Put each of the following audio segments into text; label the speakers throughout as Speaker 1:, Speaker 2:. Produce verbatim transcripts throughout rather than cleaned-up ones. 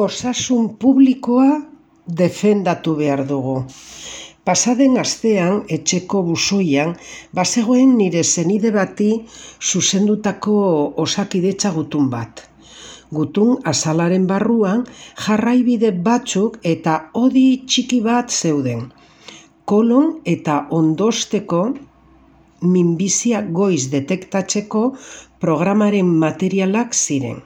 Speaker 1: Osasun publikoa defendatu behar dugu. Pasaden astean, etxeko buzoian, bazegoen nire senide bati zuzendutako osakidetza gutun bat. Gutun azalaren barruan jarraibide batzuk eta hodi txiki bat zeuden. Kolon eta ondosteko minbizia goiz detektatzeko programaren materialak ziren.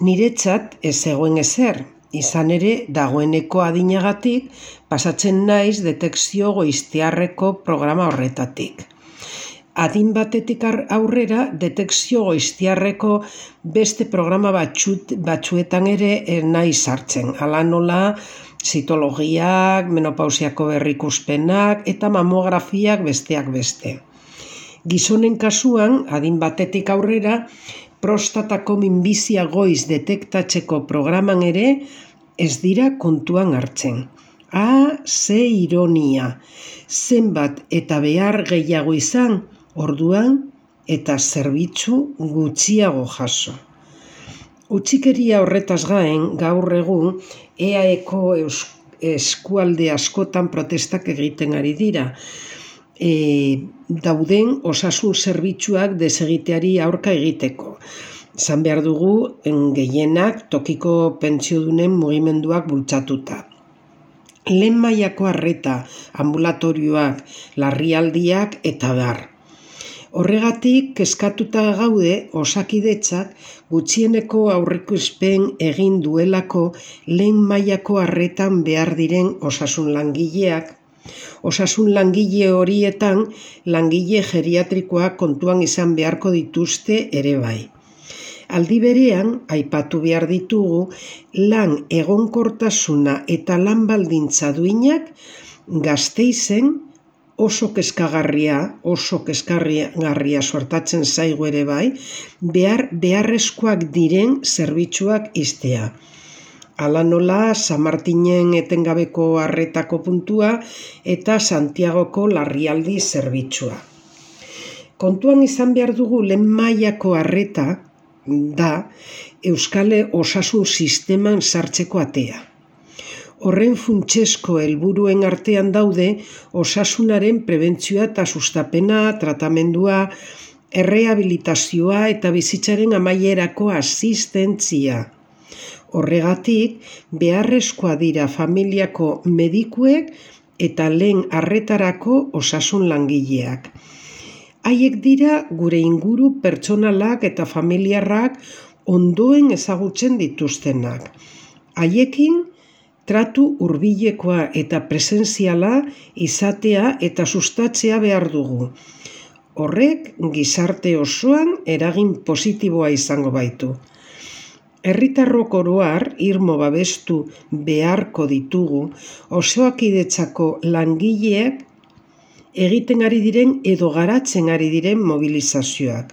Speaker 1: Niretzat ez zegoen ezer, izan ere dagoeneko adinagatik pasatzen naiz detekzio goiztiarreko programa horretatik. Adin batetik aurrera detekzio goiztiarreko beste programa batxut, batzuetan ere naiz sartzen. Hala nola zitologiak, menopausiako berrikuspenak eta mamografiak besteak beste. Gizonen kasuan, adin batetik aurrera, prostatako minbizia goiz detektatzeko programan ere ez dira kontuan hartzen. Ah, ze ironia! Zenbat eta behar gehiago izan, orduan eta zerbitzu gutxiago jaso. Utzikeria horretaz gain, gaur egun, E A Eko eskualde askotan protestak egiten ari dira. E, dauden osasun zerbitzuak desegiteari aurka egiteko. Zan behar dugu gehienak tokiko pentsiodunen mugimenduak bultzatuta. Lehen mailako arreta, ambulatorioak, larrialdiak eta bar. Horregatik kezkatuta gaude osakidetzak gutxieneko aurreikuspen egin duelako lehen mailako arretan behar diren osasun langileak. Osasun langile horietan langile geriatrikoak kontuan izan beharko dituzte ere bai. Aldi berean, aipatu behar ditugu, lan egonkortasuna eta lan baldintza duinak Gasteizen oso kezkagarria, oso kezkagarria suertatzen zaigu ere bai, behar beharrezkoak diren zerbitzuak iztea. Hala nola San Martinen etengabeko arretako puntua eta Santiagoko larrialdi zerbitzua. Kontuan izan behar dugu lehen mailako arreta da Euskal Osasun Sisteman sartzeko atea. Horren funtsezko helburuen artean daude osasunaren prebentzioa eta sustapena, tratamendua, errehabilitazioa eta bizitzaren amaierako asistentzia. Horregatik, beharrezkoa dira familiako medikuek eta lehen arretarako osasun langileak. Haiek dira gure inguru pertsonalak eta familiarrak ondoen ezagutzen dituztenak. Haiekin, tratu hurbilekoa eta presentziala izatea eta sustatzea behar dugu. Horrek gizarte osoan eragin positiboa izango baitu. Herritarrok oro har irmo babestu beharko ditugu osakidetzako langileak egiten ari diren edo garatzen ari diren mobilizazioak.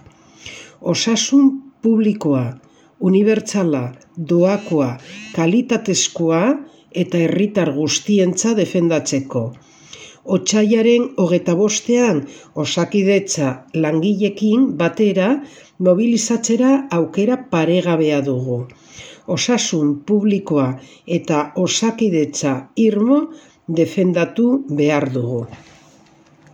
Speaker 1: Osasun publikoa, unibertsala, doakoa, kalitatezkoa eta herritar guztientza defendatzeko. Otsailaren hogeita bostean osakidetza langileekin batera mobilizatzera aukera paregabea dugu. Osasun publikoa eta osakidetza irmo defendatu behar dugu.